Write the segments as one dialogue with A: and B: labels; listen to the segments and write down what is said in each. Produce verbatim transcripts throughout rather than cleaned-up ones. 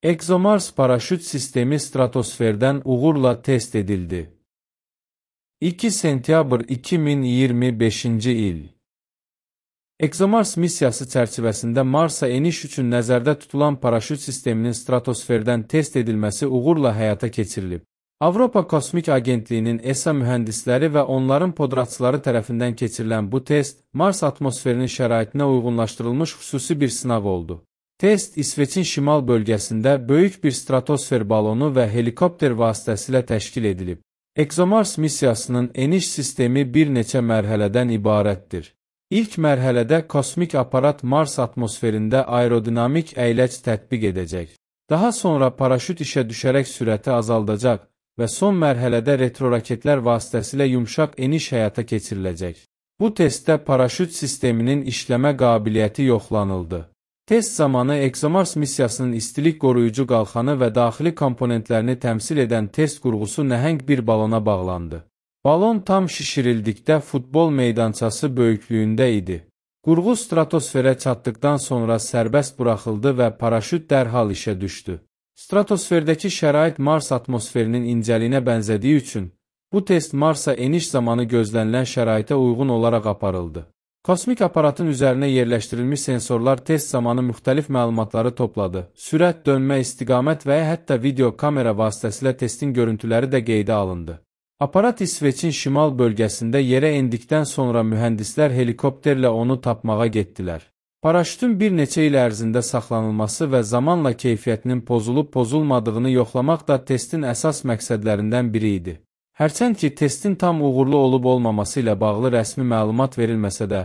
A: ExoMars paraşüt sistemi stratosferdən uğurla test edildi. iki sentyabr iki min iyirmi beşinci il. ExoMars missiyası çərçivəsində Marsa eniş üçün nəzərdə tutulan paraşüt sisteminin stratosferdən test edilməsi uğurla həyata keçirilib. Avropa Kosmik Agentliyinin E S A mühəndisləri və onların podratçıları tərəfindən keçirilən bu test, Mars atmosferinin şəraitinə uyğunlaşdırılmış xüsusi bir sınaq oldu. Test, İsveçin şimal bölgəsində böyük bir stratosfer balonu və helikopter vasitəsilə təşkil edilib. ExoMars missiyasının eniş sistemi bir neçə mərhələdən ibarətdir. İlk mərhələdə kosmik aparat Mars atmosferində aerodinamik əyləc tətbiq edəcək. Daha sonra paraşüt işə düşərək sürəti azaldacaq və son mərhələdə retroraketlər vasitəsilə yumşaq eniş həyata keçiriləcək. Bu testdə paraşüt sisteminin işləmə qabiliyyəti yoxlanıldı. Test zamanı ExoMars missiyasının istilik qoruyucu qalxanı və daxili komponentlərini təmsil edən test qurğusu nəhəng bir balona bağlandı. Balon tam şişirildikdə futbol meydançası böyüklüyündə idi. Qurğu stratosferə çatdıqdan sonra sərbəst buraxıldı və paraşüt dərhal işə düşdü. Stratosferdəki şərait Mars atmosferinin incəliyinə bənzədiyi üçün, bu test Marsa eniş zamanı gözlənilən şəraitə uyğun olaraq aparıldı. Kosmik aparatın üzərinə yerləşdirilmiş sensorlar test zamanı müxtəlif məlumatları topladı. Sürət, dönmə, istiqamət və ya hətta video kamera vasitəsilə testin görüntüləri də qeydə alındı. Aparat İsveçin şimal bölgəsində yerə endikdən sonra mühəndislər helikopterlə onu tapmağa getdilər. Paraşütün bir neçə il ərzində saxlanılması və zamanla keyfiyyətinin pozulub-pozulmadığını yoxlamaq da testin əsas məqsədlərindən biri idi. Hərçənd ki, testin tam uğurlu olub-olmaması ilə bağlı rəsmi məlumat verilməsə də,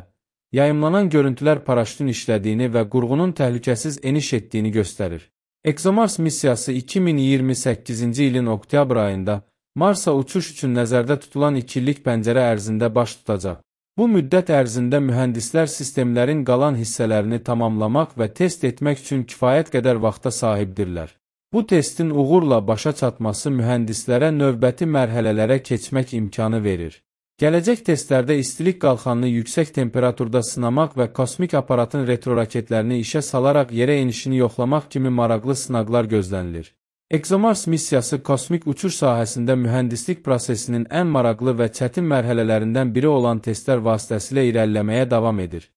A: yayımlanan görüntülər paraşütün işlədiyini və qurğunun təhlükəsiz eniş etdiyini göstərir. ExoMars missiyası iki min iyirmi səkkizinci ilin oktyabr ayında Marsa uçuş üçün nəzərdə tutulan iki illik pəncərə ərzində baş tutacaq. Bu müddət ərzində mühəndislər sistemlərin qalan hissələrini tamamlamaq və test etmək üçün kifayət qədər vaxta sahibdirlər. Bu testin uğurla başa çatması mühəndislərə növbəti mərhələlərə keçmək imkanı verir. Gələcək testlərdə istilik qalxanını yüksək temperaturda sınamaq və kosmik aparatın retroraketlərini işə salaraq yerə enişini yoxlamaq kimi maraqlı sınaqlar gözlənilir. ExoMars missiyası kosmik uçuş sahəsində mühəndislik prosesinin ən maraqlı və çətin mərhələlərindən biri olan testlər vasitəsilə irəliləməyə davam edir.